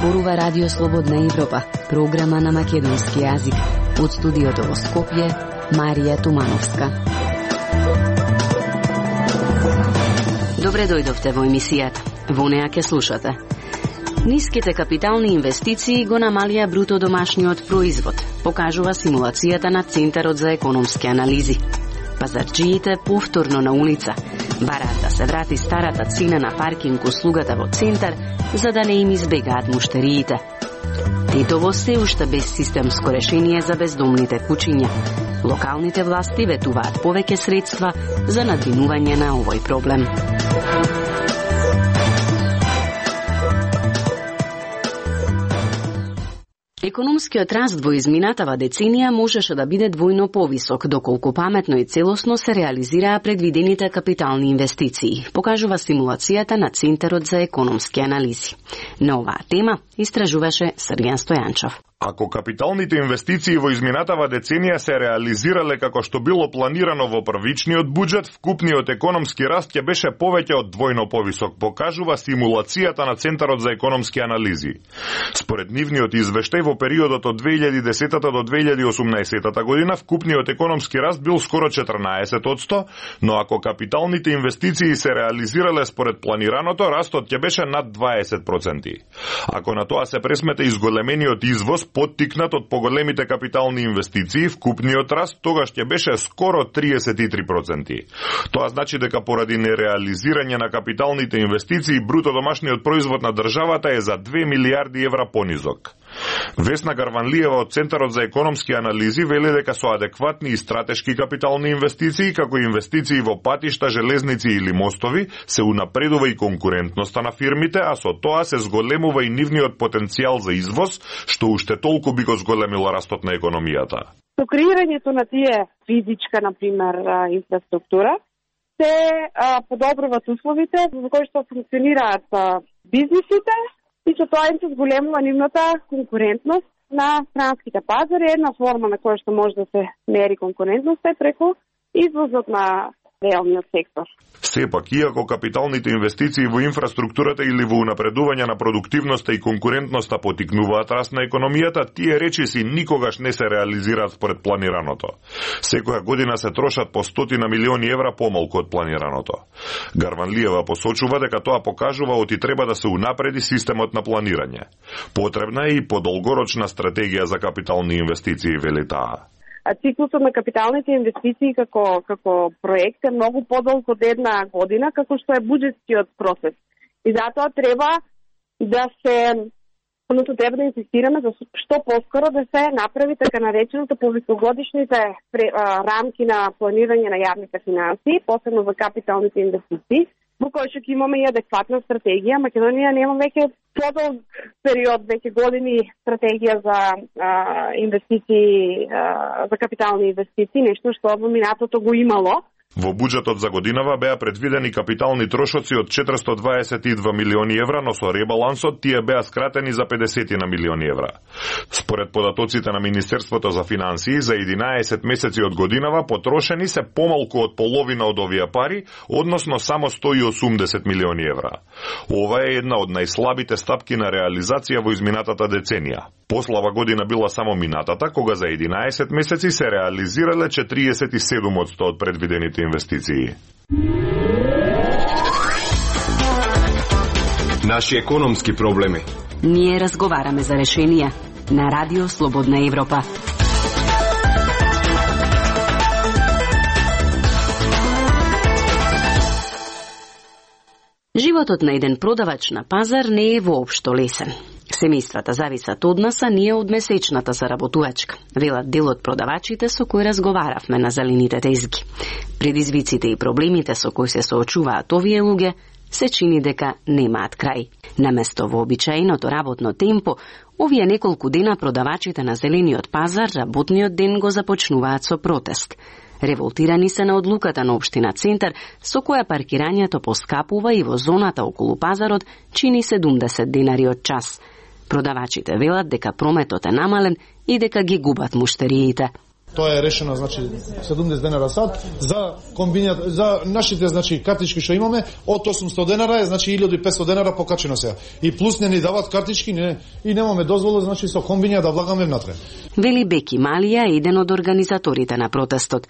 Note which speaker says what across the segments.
Speaker 1: зборува Радио Слободна Европа, програма на македонски јазик. Од студиото во Скопје, Марија Тумановска. Добре дојдовте во емисијата. Во неа ќе слушате. Ниските капитални инвестиции го намалија бруто домашниот производ, покажува симулацијата на Центарот за економски анализи. Пазарджиите повторно на улица бараат да се врати старата цена на паркинг услугата во центар, за да не им избегаат муштериите. Тетово се уште без системско решение за бездомните кучиња. Локалните власти ветуваат повеќе средства за надвинување на овој проблем. Економскиот раст во изминатава деценија можеше да биде двојно повисок, доколку паметно и целосно се реализираа предвидените капитални инвестиции, покажува симулацијата на Центарот за економски анализи. На оваа тема истражуваше Срѓан Стојанчов.
Speaker 2: Ако капиталните инвестиции во изминатава деценија се реализирале како што било планирано во првичниот буџет, вкупниот економски раст ќе беше повеќе од двојно повисок, покажува симулацијата на Центарот за економски анализи. Според нивниот извештај во периодот од 2010 до 2018 година, вкупниот економски раст бил скоро 14%, но ако капиталните инвестиции се реализирале според планираното, растот ќе беше над 20%. Ако на тоа се пресмета изголемениот извоз, поттикнат од поголемите капитални инвестиции, вкупниот раст тогаш ќе беше скоро 33%. Тоа значи дека поради нереализирање на капиталните инвестиции, бруто домашниот производ на државата е за 2 милиарди евра понизок. Весна Гарванлиева од Центарот за економски анализи вели дека со адекватни и стратешки капитални инвестиции, како инвестиции во патишта, железници или мостови, се унапредува и конкурентноста на фирмите, а со тоа се зголемува и нивниот потенцијал за извоз, што уште толку би го зголемило растот на економијата.
Speaker 3: Со креирањето на тие физичка, например, инфраструктура, се подобруваат условите во кои што функционираат бизнисите, и со тоа им се зголемува нивната конкурентност на странските пазари. Една форма на која што може да се мери конкурентноста е преку извозот на реалниот сектор.
Speaker 2: Сепак, иако капиталните инвестиции во инфраструктурата или во унапредување на продуктивноста и конкурентноста потикнуваат раст на економијата, тие речиси никогаш не се реализираат според планираното. Секоја година се трошат по 100 милиони евра помалку од планираното. Гарванлиева посочува дека тоа покажува оти треба да се унапреди системот на планирање. Потребна е и подолгорочна стратегија за капитални инвестиции, вели таа.
Speaker 3: Циклусот на капиталните инвестиции како проект е многу подолг од една година, како што е буџетскиот процес. И затоа треба да инсистираме за што поскоро да се направи така нареченото по високогодишните рамки на планирање на јавните финансии, посебно за капиталните инвестиции, во кој што ќе имаме и адекватна стратегија. Македонија нема веќе подолг период, веќе години стратегија за инвестиции, за капитални инвестиции, нешто што во минатото го имало.
Speaker 2: Во буџетот за годинава беа предвидени капитални трошоци од 422 милиони евра, но со ребалансот тие беа скратени за 50 милиони евра. Според податоците на Министерството за финансии, за 11 месеци од годинава потрошени се помалку од половина од овие пари, односно само 180 милиони евра. Ова е една од најслабите стапки на реализација во изминатата деценија. Послава година била само минатата, кога за 11 месеци се реализирале 47% од предвидените инвестиции.
Speaker 4: Наши економски проблеми.
Speaker 1: Ние разговараме за решенија на Радио Слободна Европа. Животот на еден продавач на пазар не е воопшто лесен. Семејствата зависат од нас, а ние од месечната заработувачка, велат дел од продавачите со кои разговаравме на зелените тезги. Предизвиците и проблемите со кои се соочуваат овие луѓе се чини дека немаат крај. Наместо вообичаеното работно темпо, овие неколку дена продавачите на зелениот пазар работниот ден го започнуваат со протест. Револтирани се на одлуката на општина Центар, со која паркирањето поскапува и во зоната околу пазарот чини 70 денари од час. Продавачите велат дека прометот е намален и дека ги губат муштериите.
Speaker 5: Тоа е решено, значи 70 денара сат за комбинат за нашите значи картички што имаме од 800 денара е значи 1500 денара покачено сега. И плюс не ни дават картички, и немаме дозвола значи со комбинија да влагаме внатре.
Speaker 1: Вели Беки Малија, еден од организаторите на протестот.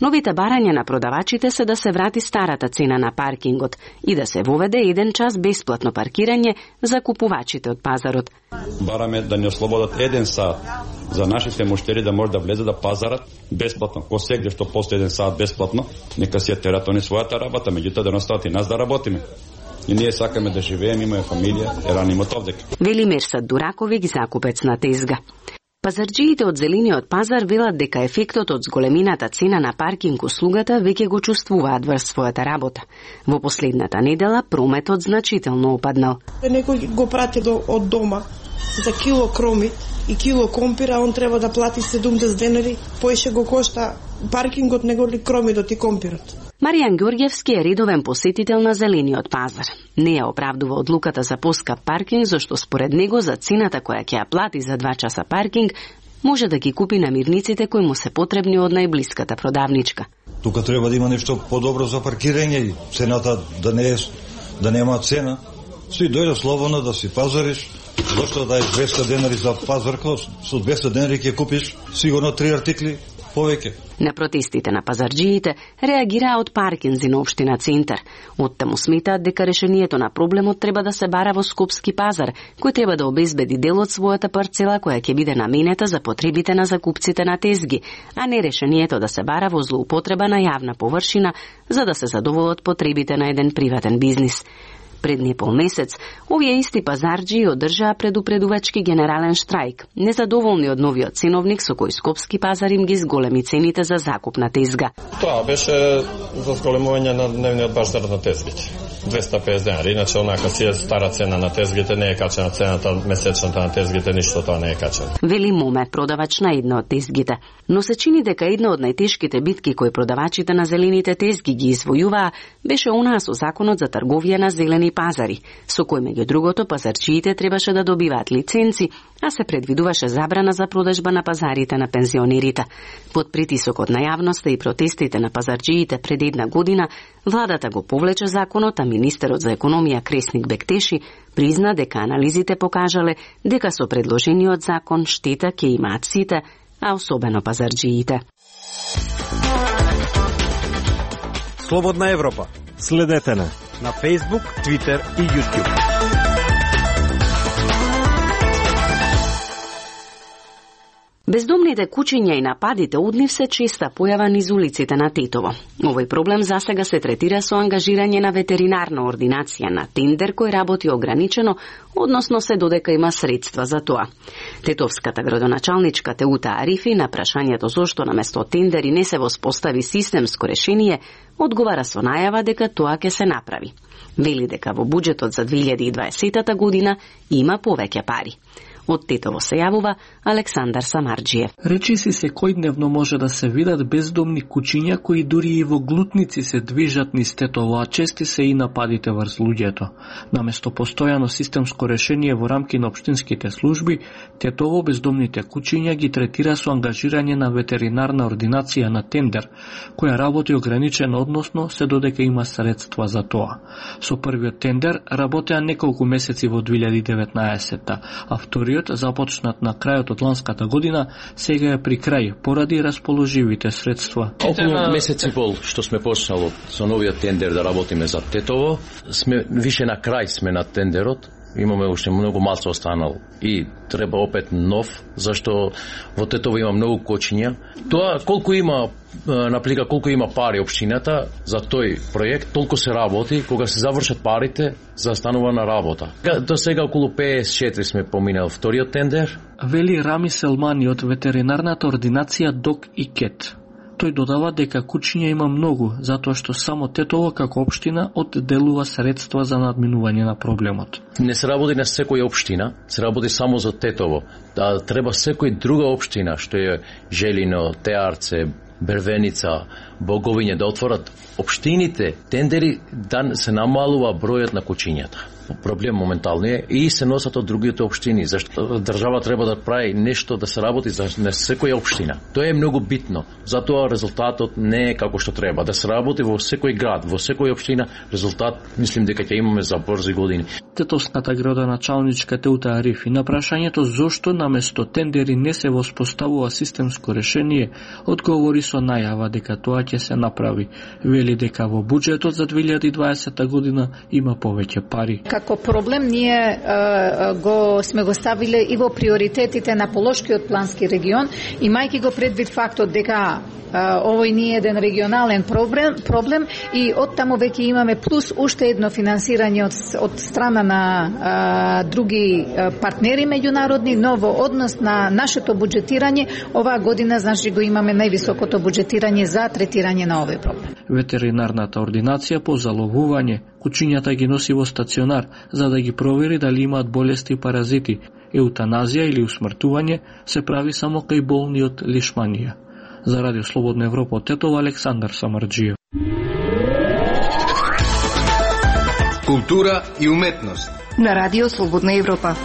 Speaker 1: Новите барања на продавачите се да се врати старата цена на паркингот и да се воведе 1 час бесплатно паркирање за купувачите од пазарот.
Speaker 6: Бараме да ни ослободат 1 сат за нашите муштери да може да влезе да пазарат бесплатно. Ко сегде што постои 1 сат бесплатно, нека си ја терат они својата работа, меѓутоа да не остават и нас да работиме. И ние сакаме да живееме, имаме фамилија, е ранимот овдека. Вели Мерсат Дураковиќ, закупец на тезга. Пазарџиите од зелениот пазар велат дека ефектот од зголемината цена на паркинг услугата веќе го чувствуваат врз својата работа. Во последната недела прометот значително опаднал.
Speaker 7: Некој го прати од дома за кило кроми и кило компира, он треба да плати 70 денари, поише го кошта паркингот него ли кромидот и компирот.
Speaker 1: Маријан Ѓорѓевски е редовен посетител на зелениот пазар. Не ја оправдува одлуката за поскап паркинг, зашто според него за цената која ќе ја плати за 2 часа паркинг, може да ги купи намирниците кои му се потребни од најблиската продавничка.
Speaker 8: Тука треба да има нешто подобро за паркирање и цената да нема цена. Си дојде слободно да си пазариш. Зашто да е 200 денари за пазарка, со 200 денари ќе купиш сигурно 3 артикли повеќе.
Speaker 1: На протестите на пазарџиите реагираа од паркинзи на општина Центар. Оттаму сметаат дека решението на проблемот треба да се бара во Скопски пазар, кој треба да обезбеди дел од својата парцела која ќе биде наменета за потребите на закупците на тезги, а не решението да се бара во злоупотреба на јавна површина за да се задоволат потребите на еден приватен бизнис. Пред не полмесец, овие исти пазарџии одржаа предупредувачки генерален штрајк, незадоволни од новиот ценовник со кој Скопски пазар им ги зголеми цените за закуп на тезга.
Speaker 9: Тоа беше за зголемување на дневниот базар на тезгите. 250 денари, иначе онака си е стара цена на тезгите, не е качена цената месечната на тезгите, ништо тоа не е качено.
Speaker 1: Вели Моме, продавач на една од тезгите. Но се чини дека една од најтешките битки кои продавачите на зелените тезги ги извојуваа беше онаа со законот за трговија на зелени пазари, со кој меѓу другото пазарчиите требаше да добиваат лиценци, а се предвидуваше забрана за продажба на пазарите на пензионерите. Под притисокот на јавноста и протестите на пазарчиите пред 1 година, владата го повлече законот, а министерот за економија Кресник Бектеши призна дека анализите покажале дека со предложениот закон штета ќе имаат сите, а особено пазарџиите.
Speaker 10: Слободна Европа. Следете на Facebook, Twitter и YouTube.
Speaker 1: Бездомните кучиња и нападите од нив се честа појава низ улиците на Тетово. Овој проблем засега се третира со ангажирање на ветеринарна ординација на тендер кој работи ограничено, односно се додека има средства за тоа. Тетовската градоначалничка Теута Арифи на прашањето зошто наместо тендери не се воспостави системско решение, одговара со најава дека тоа ќе се направи. Вели дека во буџетот за 2020 година има повеќе пари. Од Тетово се јавува Александар Самарџиев.
Speaker 11: Речиси секојдневно може да се видат бездомни кучиња кои дури и во глутници се движат низ Тетово, а чести се и нападите врз луѓето. Наместо постојано системско решение во рамки на општинските служби, Тетово бездомните кучиња ги третира со ангажирање на ветеринарна ординација на тендер, која работи ограничено, односно се додека има средства за тоа. Со првиот тендер работеа неколку месеци во 2019, а вториот, започнат на крајот од ланската година, сега е при крај поради расположивите средства.
Speaker 12: Околу месец и пол што сме почнало со новиот тендер да работиме за Тетово, сме више на крај сме на тендерот. Имаме уште многу малку останало и треба опет нов, зашто во Тетово има многу кочиња. Тоа колку има наплика, колку има пари општината за тој проект, толку се работи, кога се завршат парите, застанува на работа. До сега околу 54 сме поминал вториот тендер.
Speaker 11: Вели Рами Селмани од ветеринарната ординација ДОК и КЕТ. Тој додава дека кучиња има многу, затоа што само Тетово како општина одделува средства за надминување на проблемот.
Speaker 12: Не се работи на секоја општина, се работи само за Тетово. Да треба секој друга општина, што е Желино, Теарце, Бервеница, Боговиње, да отворат општините, тендери, да се намалува бројот на кучињата. проблем моментално е и се носат од другите општини, зашто држава треба да прави нешто да се работи за секоја општина. Тоа е многу битно. Затоа резултатот не е како што треба. Да се работи во секој град, во секоја општина, резултат мислим дека ќе имаме за брзи години.
Speaker 11: Тетовската градоначалничка Теута Арифи на прашањето зошто наместо тендери не се воспоставува системско решение, одговори со најава дека тоа ќе се направи. Вели дека во буџетот за 2020 година има повеќе пари.
Speaker 13: Како проблем ние сме го ставиле и во приоритетите на Полошкиот плански регион, имајќи го предвид фактот дека овој не е еден регионален проблем и оттаму веќе имаме плюс уште едно финансирање од страна на други партнери меѓународни, но во однос на нашето буџетирање оваа година значи го имаме највисокото буџетирање за третирање на овој проблем.
Speaker 11: Ветеринарната ординација по заловување кучињата ги носи во стационар за да ги провери дали имаат болести и паразити. Еутаназија или усмртување се прави само кај болни од лишманија. За Радио Слободна Европа од Тетово, Александар Самарџиев.
Speaker 10: Култура и уметност
Speaker 14: на Радио Слободна Европа.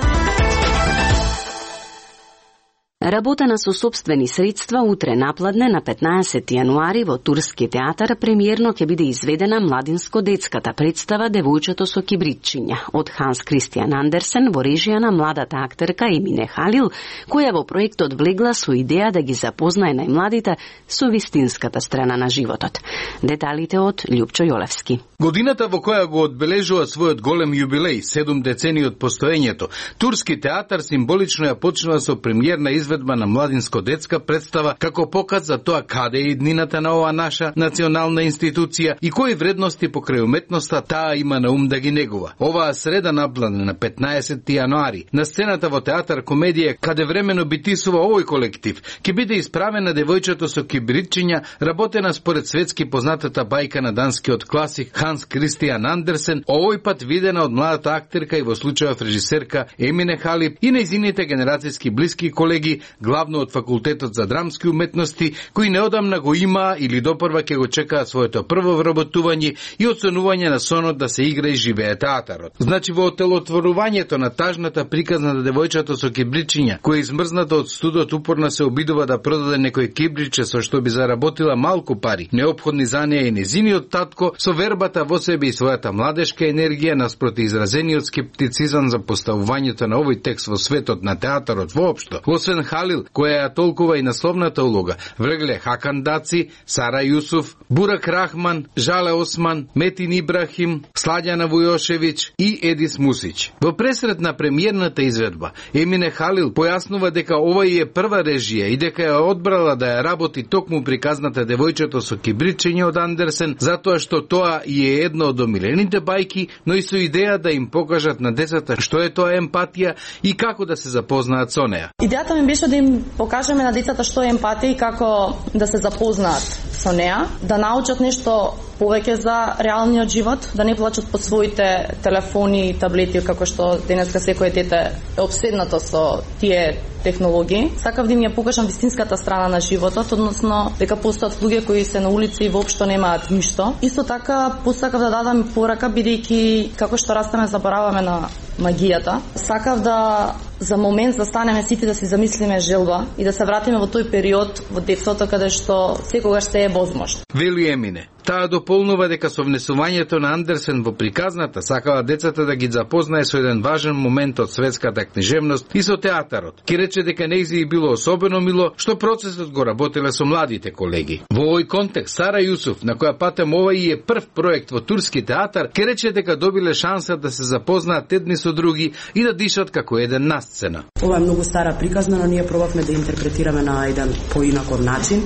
Speaker 1: Работена со собствени средства, утре напладне на 15 јануари во Турски театар премиерно ќе биде изведена младинско-детската представа Девојчето со кибритчиња од Ханс Кристијан Андерсен во режија на младата актерка Емине Халил, која во проектот влегла со идеја да ги запознае најмладите со вистинската страна на животот. Деталите од Љупчо Јолевски.
Speaker 10: Годината во која го одбележува својот голем јубилеј, 7 децении од постоењето, Турски театар символично ја почнува со премиерна изведба на младинско-детска представа како показ за тоа каде е иднината на оваа наша национална институција и кои вредности покрај уметноста таа има на ум да ги негува. Оваа среда напладне на 15 јануари на сцената во театар комедија каде времено битисува овој колектив ќе биде исправена Девојчето со кибритчиња, работена според светски познатата бајка на данскиот класик Ханс Кристијан Андерсен, овој пат видена од младата актерка и во случајов режисерка Емине Халил и нејзините генерацијски блиски колеги, главно од факултетот за драмски уметности, кои неодамна го има или допрва ќе го чекаат своето прво вработување и оценување на сонот да се игра и живее театарот. Значи во отелотворувањето на тажната приказна на Девојчето со кибричиња, која измрзната од студот упорно се обидува да продаде некој кибриче со што би заработила малку пари, неопходни за неја и незиниот татко, со вербата во себе и својата младешка енергија наспроти изразениот скептицизам за поставувањето на овој текст во светот на театарот воопшто. Освен Халил, која ја толкува и насловната улога, влегле Хакан Даци, Сара Јусуф, Бурак Рахман, Жале Осман, Метин Ибрахим, Сладјана Вујошевиќ и Едис Мусич. Во пресрет на премиерната изведба, Емине Халил појаснува дека овој е прва режија и дека ја одбрала да ја работи токму приказната Девојчето со кибричиње од Андерсен, затоа што тоа е една од омилените бајки, но и со идеја да им покажат на децата што е тоа емпатија и како да се запознаат со неа.
Speaker 15: Идејата ми беше да им покажеме на децата што е емпатија и како да се запознаат со неа, да научат нешто повеќе за реалниот живот, да не плачат под своите телефони и таблети, како што денеска секој дете е обседнато со тие технологии. Сакав да им ја покажам вистинската страна на животот, односно дека постојат луѓе кои се на улица и воопшто немаат ништо. Исто така посакав да дадам порака, бидејќи како што растеме забораваме на магијата. Сакав да за момент застанеме сите да си замислиме желба и да се вратиме во тој период во детството каде што секогаш се е возможно.
Speaker 10: Вели Емине. Таа дополнува дека со внесувањето на Андерсен во приказната сакала децата да ги запознае со еден важен момент од светската книжевност и со театарот. Ке рече дека нејзи било особено мило што процесот го работеле со младите колеги. Во овој контекст Сара Јусуф, на која патем овој е прв проект во Турски театар, ке рече дека добиле шанса да се запознаат едни со други и да дишат како еден на сцена.
Speaker 16: Ова е многу стара приказна, но ние пробавме да интерпретираме на еден поинаков начин,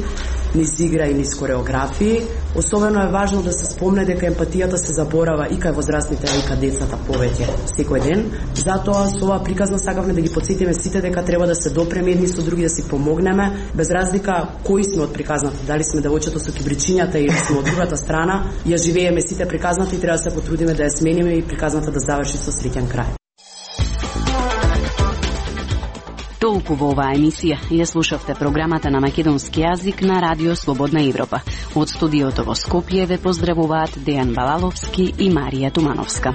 Speaker 16: низ игра и низ кореографии. Особено е важно да се спомне дека емпатијата се заборава и кај возрастните, и кај децата повеќе секој ден. Затоа со оваа приказна сакавме да ги потсетиме сите дека треба да се допреме едни со други, да си помогнеме, без разлика кои сме од приказната, дали сме Девојчето со кибричињата или сме од другата страна, ја живееме сите приказната и треба да се потрудиме да ја смениме и приказната да заврши со среќен крај.
Speaker 1: Толку во оваа емисија. Ја слушавте програмата на македонски јазик на Радио Слободна Европа. Од студиото во Скопје ве поздравуваат Дејан Балаловски и Марија Тумановска.